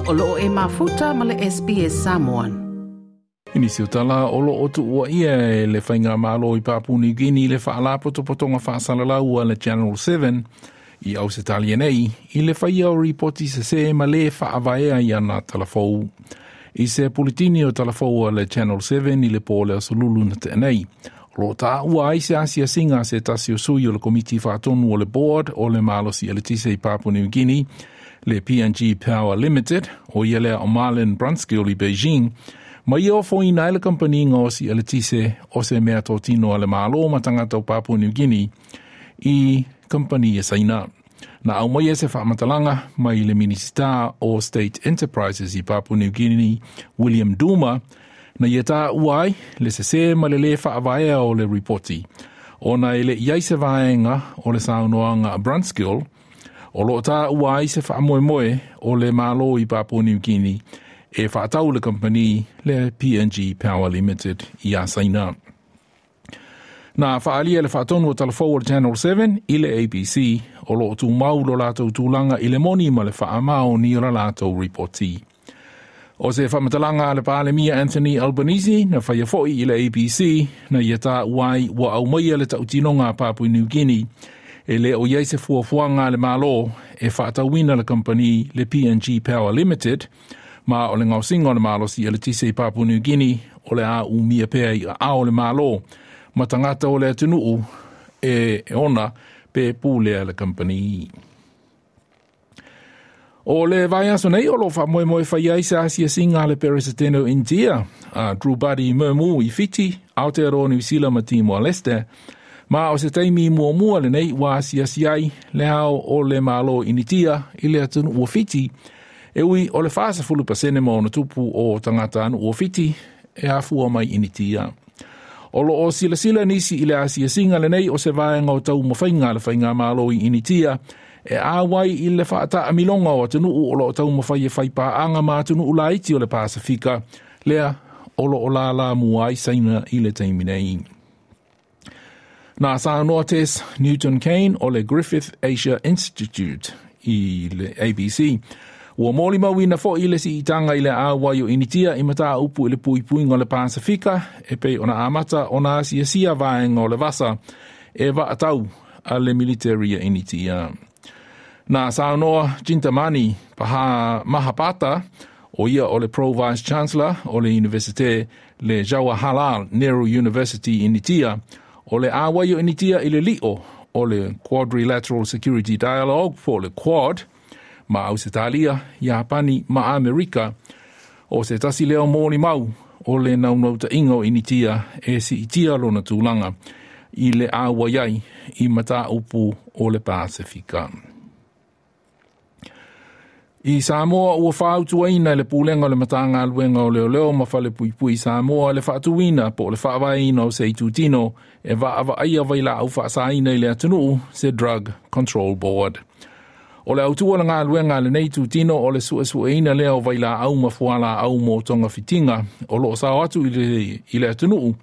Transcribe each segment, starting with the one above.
O loo e mafuta ma le SBS Samoan. I nisi o tala o loo tuuaia e le Faigamalo i Papua New Guinea le Faalapotopotoga Faasalalau a le Channel 7 i Ausetalia nei i le faia o ripoti sesē ma lē faavaea i ana talafou. I se puletini o talafou a le Channel 7 i le po o le Aso Lulu na tea nei, o loo taua ai se asiasiga a se tasi o sui o le Komiti Faatonu o le Board o le Malosi Eletise i Papua New Guinea, le PNG Power Limited, o ia lea o Marlin Brunskill i Beijing, ma ia ofoina ai le kamupani gaosi eletise o se meatotino a le Malo ma tagata o Papua New Guinea i kamupani a Saina. Na aumaia se faamatalaga mai le Minisita o State Enterprises i Papua New Guinea, William Duma, na ia taua ai le sesē ma le lē faavaea o le ripoti, ona e le i ai se vaega o le saunoaga a Brunskill o loo taua ai se faamoemoe o le Malo i Papua New Guinea e faatau le kamupani le PNG Power Limited iā Saina. Na faaalia le faatonu o talafou o le Channel 7 i le ABC o loo tumau lo latou tulaga i le moni ma le faamaoni o la latou ripoti. O se faamatalaga a le Palemia Anthony Albanese na faia foi i le ABC na ia taua ai ua aumaia le tautinoga a Papua New Guinea e le o i ai se fuafuaga a le Malo e faatauina le kamupani le PNG Power Limited ma o le gaosiga o le malosi eletise i Papua New Guinea o le a umia pea i aao o le Malo ma tagata o le atunuu e ona pe pulea le kamupani. O le vaiaso nei o lo o faamoemoe fai ai se asiasiga a le Peresetene o Initia, a Droupadi Murmu i Fiti, Aotearoa Niu Sila ma Timor-Leste, ma o se taimi muamua lenei ua asiasi ai le ao o le Malo Initia i le atunuu o Fiti, e ui o le 40% ma ona tupu o tagatanuu o Fiti e afua mai Initia. O loo silasila nisi i le asiasiga lenei o se vaega o taumafaiga a le Faigamalo i Initia e auai i le faataamiloga o atunuu o loo taumafai e faipaaga ma atunuu laiti o le Pasefika, lea o loo lalamua ai Saina i le taimi nei. Na saunoa Tess Newton Cain o le Griffith Asia Institute i le ABC, ua molimauina foi le siitaga i le auai o Initia i mataupu i le puipuiga o le Pasefika e pei ona amata ona asiasia vaega o le vasa e vaatau a le military a Initia. Na saunoa Chintamani Paha Mahapata, o ia o le Pro Vice Chancellor o le Universite le Jawaharlal Nehru University i Initia, o le auai o Initia i le lio o le Quadrilateral Security Dialogue po o le Quad ma Ausetalia, Iapani ma Amerika, o se tasi lea o molimau o le naunautaiga o Initia e siitia lona tulaga i le auai ai i mataupu o le Pasefika. I Samoa ua fautuaina e le Pulega o le Matagaluega o Leoleo ma Falepuipui i Samoa le faatuina po o le faavaeina o se itutino e vaavaaia vailaau faasaina i le atunuu, se Drug Control Board. O le autu o le galuega a lenei itutino o le suesueina lea o vailaau ma fualaau mo togafitiga o loo sao atu i le atunuu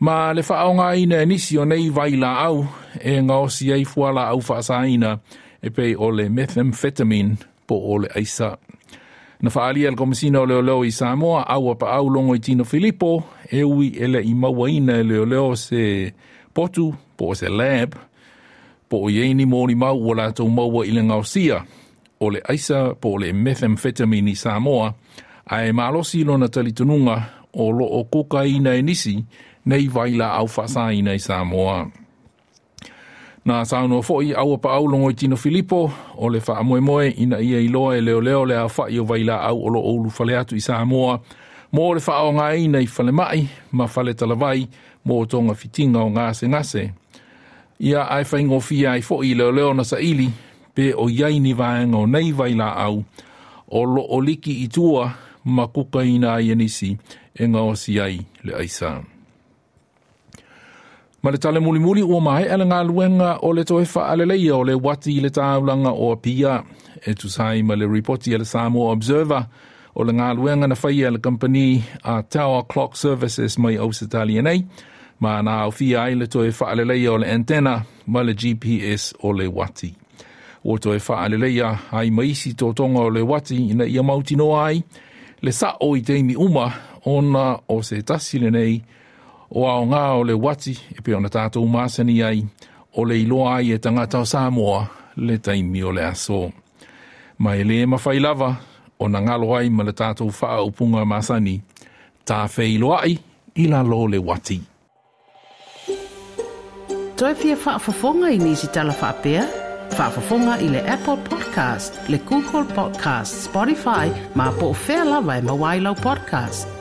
ma le faaaogaina e nisi o nei vailaau e gaosi ai fualaau faasaina e pei o le methamphetamine po o le aisa. Na faaalia e le Komesina o Leoleo i Samoa Auapaau Logoitino Filipo e ui e le i mauaina e leoleo se potu po o se lab po o i ai ni molimau ua latou maua i le gaosia o le aisa po o le methamphetamine i Samoa, ae malosi lona talitonuga o loo kokaina e nisi nei vailaau faasaina i Samoa. Na saunoa foi Auapaau Logoitino Filipo o le faamoemoe ina ia iloa e leoleo le aofai o vailaau o loo ulufale atu i Samoa mo le faaaogaina i falemai ma faletalavai mo togafitiga o gasegase. Ia ae faigofie ai foi i leoleo na saili pe o i ai ni vaega o nei vailaau o loo liki i tua ma kukaina ai e nisi e gaosi ai le aisa. Ma le tala mulimuli ua maea le galuega o le toe faaleleia o le uati i le taulaga o Apia e tusa ai ma le ripoti a le Samoa Observer o le galuega na faia e le kamupani a Tower Clock Services mai Ausetalia nei, ma na aofia ai le toe faaleleia o le antenna ma le GPS o le uati. Ua toe faaleleia ai ma isi totoga o le uati ina ia mautinoa ai le saʻo i taimi uma ona o se tasi lenei o aogā o le uati e pei ona tatou masani ai o le iloa ai e tagata o Samoa le taimi o le aso. Ma e lē mafai lava ona galo ai ma le tatou faaupuga masani, tafeiloai i lalo o le uati. Toe fia faafofoga i nisi tala faapea? Faafofoga i le Apple Podcast, le Google Podcast, Spotify, ma po o fea lava e maua ai lau podcast.